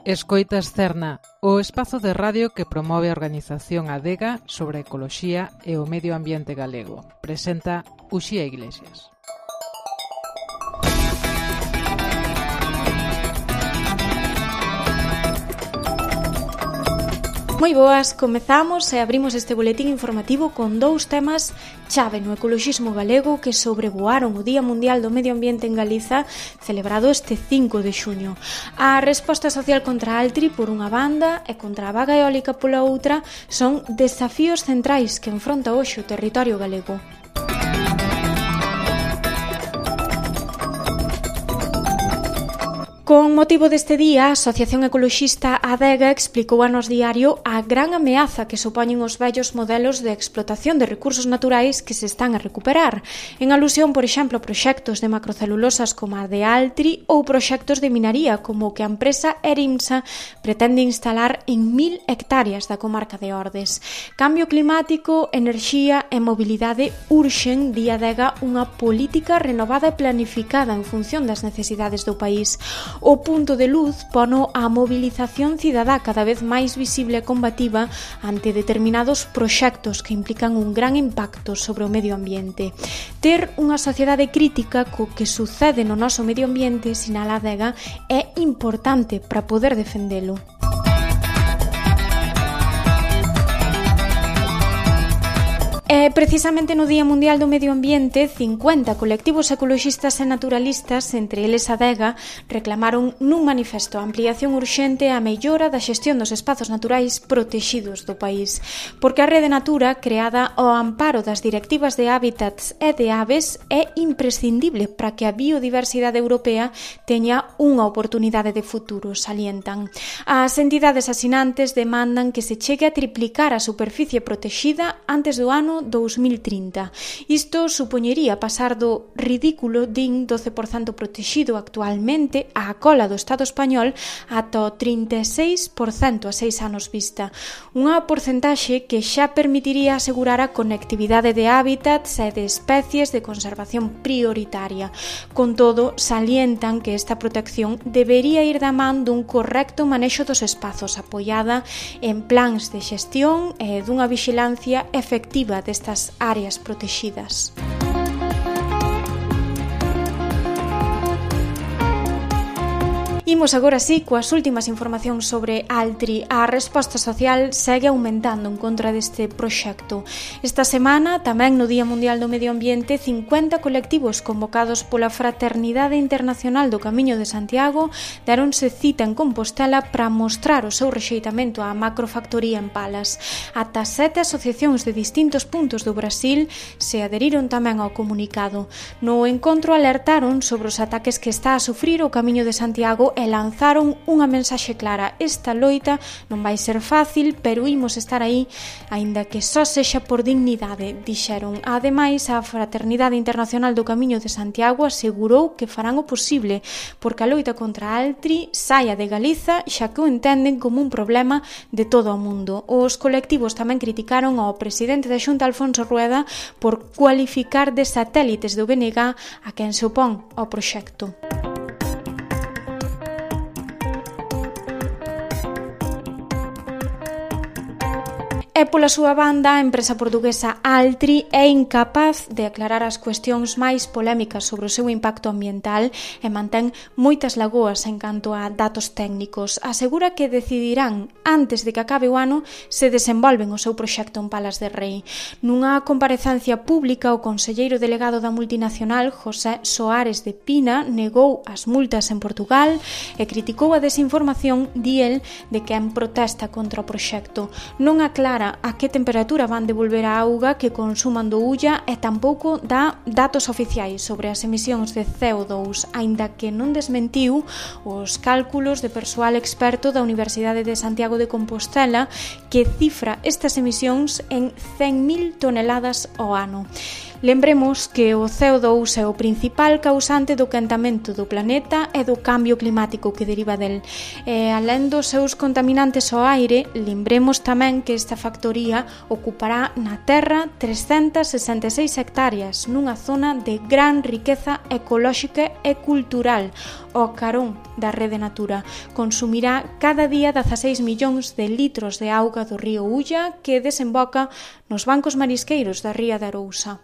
Escoitas Cerna, o espazo de radio que promove a organización Adega sobre a ecoloxía e o medio ambiente galego. Presenta Uxía Iglesias. Moi boas, comezamos e abrimos este boletín informativo con dous temas chave no ecoloxismo galego que sobrevoaron o Día Mundial do Medio Ambiente en Galiza, celebrado este 5 de xuño. A resposta social contra a Altri por unha banda e contra a vaga eólica pola outra son desafíos centrais que enfronta hoxe o territorio galego. Con motivo deste día, a Asociación Ecoloxista Adega explicou a Nós Diario a gran ameaza que supoñen os vellos modelos de explotación de recursos naturais que se están a recuperar, en alusión, por exemplo, a proxectos de macrocelulosas como a de Altri ou proxectos de minaría como o que a empresa Erimsa pretende instalar en 1000 hectáreas da comarca de Ordes. Cambio climático, enerxía e mobilidade urxen, di Adega, unha política renovada e planificada en función das necesidades do país. O punto de luz pono a mobilización cidadá cada vez máis visible e combativa ante determinados proxectos que implican un gran impacto sobre o medio ambiente. Ter unha sociedade crítica co que sucede no noso medio ambiente, sinala Adega, é importante para poder defendelo. Precisamente no Día Mundial do Medio Ambiente, 50 colectivos ecoloxistas e naturalistas, entre eles Adega, reclamaron nun manifesto a ampliación urxente e a mellora da xestión dos espazos naturais protexidos do país, porque a Rede Natura, creada ao amparo das directivas de hábitats e de aves, é imprescindible para que a biodiversidade europea teña unha oportunidade de futuro, salientan. As entidades asinantes demandan que se chegue a triplicar a superficie protexida antes do ano 2030. Isto supoñería pasar do ridículo din 12% protexido actualmente á cola do Estado español ata o 36% a 6 anos vista. Unha porcentaxe que xa permitiría asegurar a conectividade de hábitats e de especies de conservación prioritaria. Con todo, salientan que esta protección debería ir da man dun correcto manexo dos espazos apoiada en plans de xestión e dunha vixilancia efectiva destas áreas protexidas. Imos agora sí coas últimas informacións sobre Altri. A resposta social segue aumentando en contra deste proxecto. Esta semana, tamén no Día Mundial do Medio Ambiente, 50 colectivos convocados pola Fraternidade Internacional do Camiño de Santiago deronse cita en Compostela para mostrar o seu rexeitamento á macrofactoría en Palas. Ata 7 asociacións de distintos puntos do Brasil se adheriron tamén ao comunicado. No encontro alertaron sobre os ataques que está a sufrir o Camiño de Santiago e lanzaron unha mensaxe clara: esta loita non vai ser fácil, pero imos estar aí, aínda que só sexa por dignidade, dixeron. Ademais, a Fraternidade Internacional do Camiño de Santiago asegurou que farán o posible porque a loita contra Altri saia de Galiza, xa que o entenden como un problema de todo o mundo. Os colectivos tamén criticaron ao presidente da Xunta, Alfonso Rueda, por cualificar de satélites do BNG a quen se opón ao proxecto. E pola súa banda, a empresa portuguesa Altri é incapaz de aclarar as cuestións máis polémicas sobre o seu impacto ambiental e mantén moitas lagoas en canto a datos técnicos. Asegura que decidirán, antes de que acabe o ano, se desenvolven o seu proxecto en Palas de Rei. Nunha comparecencia pública, o conselleiro delegado da multinacional, José Soares de Pina, negou as multas en Portugal e criticou a desinformación, di el, de quen protesta contra o proxecto. Non aclara a que temperatura van devolver a auga que consuman do Ulla e tampouco dá datos oficiais sobre as emisións de CO2, aínda que non desmentiu os cálculos de persoal experto da Universidade de Santiago de Compostela que cifra estas emisións en 100.000 toneladas ao ano. Lembremos que o CO2 é o principal causante do quentamento do planeta e do cambio climático que deriva del. E, alén dos seus contaminantes ao aire, lembremos tamén que esta factoría ocupará na Terra 366 hectáreas nunha zona de gran riqueza ecolóxica e cultural, ao carón da Rede Natura. Consumirá cada día 16 millóns de litros de auga do río Ulla que desemboca nos bancos marisqueiros da ría de Arousa.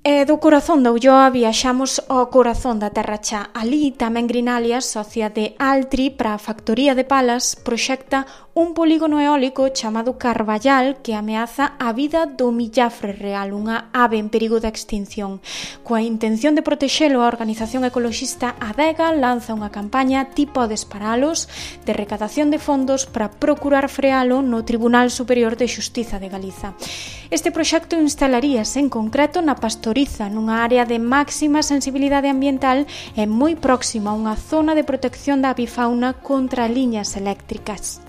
E do corazón da Ulloa viaxamos ao corazón da Terra Chá. Ali tamén Grinalias, socia de Altri para a factoría de palas, proxecta un polígono eólico chamado Carballal que ameaza a vida do millafre real, unha ave en perigo de extinción. Coa intención de protexelo, a organización ecoloxista Adega lanza unha campaña tipo Desparalos de recadación de fondos para procurar frealo no Tribunal Superior de Xustiza de Galiza. Este proxecto instalaríase en concreto na Pastoriza, nunha área de máxima sensibilidade ambiental e moi próxima a unha zona de protección da avifauna contra liñas eléctricas.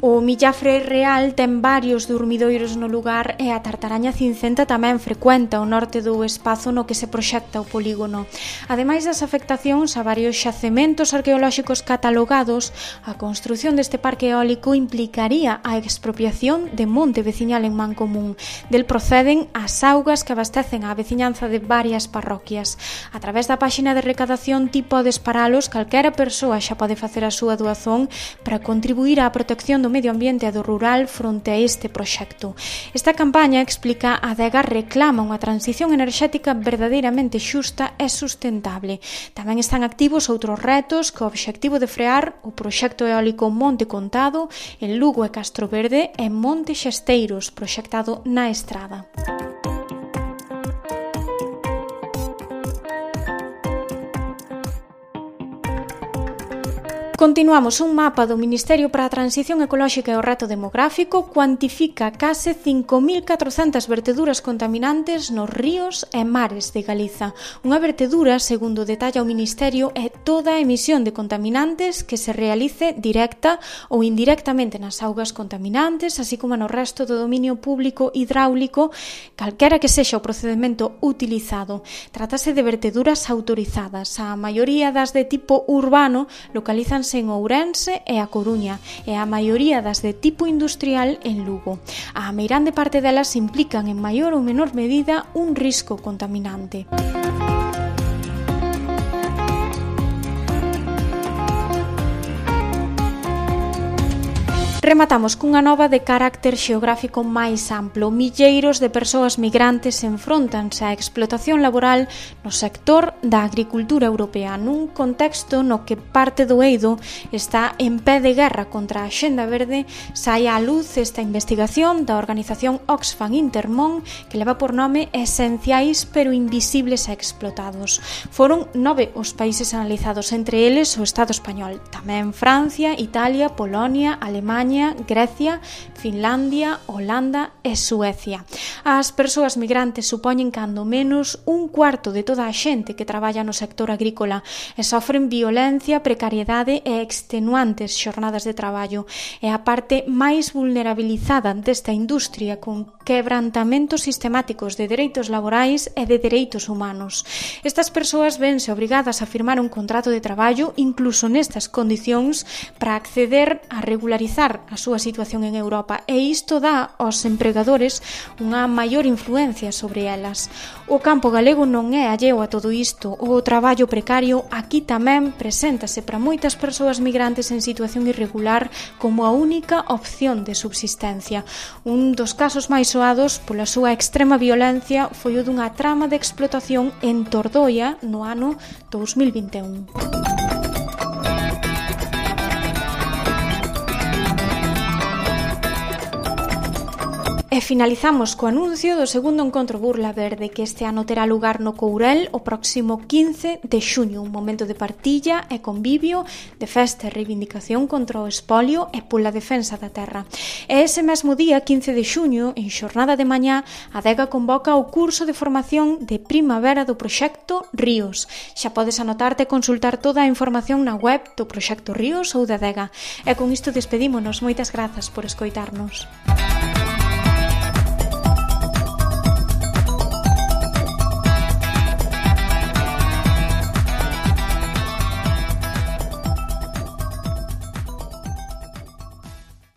O millafre real ten varios dormidoiros no lugar e a tartaraña cincenta tamén frecuenta o norte do espazo no que se proxecta o polígono. Ademais das afectacións a varios xacementos arqueolóxicos catalogados, a construción deste parque eólico implicaría a expropiación de monte veciñal en mancomún. Del proceden as augas que abastecen a veciñanza de varias parroquias. A través da páxina de recadación tipo Desparalos, calquera persoa xa pode facer a súa doazón para contribuir á protección do medio ambiente e do rural fronte a este proxecto. Esta campaña, explica, a Adega reclama unha transición enerxética verdadeiramente xusta e sustentable. Tamén están activos outros retos co obxectivo de frear o proxecto eólico Monte Contado en Lugo e Castroverde e Monte Xesteiros, proxectado na Estrada. Continuamos. Un mapa do Ministerio para a Transición Ecolóxica e o Reto Demográfico cuantifica case 5.400 verteduras contaminantes nos ríos e mares de Galiza. Unha vertedura, segundo detalla o Ministerio, é toda a emisión de contaminantes que se realice directa ou indirectamente nas augas contaminantes, así como no resto do dominio público hidráulico, calquera que sexa o procedimento utilizado. Trátase de verteduras autorizadas. A maioría das de tipo urbano localizan en Ourense e a Coruña e a maioría das de tipo industrial en Lugo. A meirande parte delas implican en maior ou menor medida un risco contaminante. Rematamos cunha nova de carácter xeográfico máis amplo. Milleiros de persoas migrantes enfróntanse á explotación laboral no sector da agricultura europea, nun contexto no que parte do eido está en pé de guerra contra a Axenda Verde. Sae á luz esta investigación da organización Oxfam Intermón que leva por nome Esenciais pero invisibles e explotados. Foron 9 os países analizados, entre eles o Estado español, tamén Francia, Italia, Polonia, Alemaña, Grecia, Finlandia, Holanda e Suecia. As persoas migrantes supoñen cando menos un cuarto de toda a xente que traballa no sector agrícola e sofren violencia, precariedade e extenuantes xornadas de traballo. É a parte máis vulnerabilizada desta industria, con quebrantamentos sistemáticos de dereitos laborais e de dereitos humanos. Estas persoas vense obrigadas a firmar un contrato de traballo incluso nestas condicións para acceder a regularizar a súa situación en Europa, e isto dá aos empregadores unha maior influencia sobre elas. O campo galego non é alleo a todo isto. O traballo precario aquí tamén preséntase para moitas persoas migrantes en situación irregular como a única opción de subsistencia. Un dos casos máis soados pola súa extrema violencia foi o dunha trama de explotación en Tordoia no ano 2021. E finalizamos co anuncio do segundo encontro Burla Verde, que este ano terá lugar no Courel o próximo 15 de xuño, un momento de partilla e convivio, de festa e reivindicación contra o espolio e pola defensa da terra. E ese mesmo día, 15 de xuño, en xornada de mañá, a Adega convoca o curso de formación de primavera do proxecto Ríos. Xa podes anotarte e consultar toda a información na web do proxecto Ríos ou da Adega. E con isto despedímonos. Moitas grazas por escoitarnos.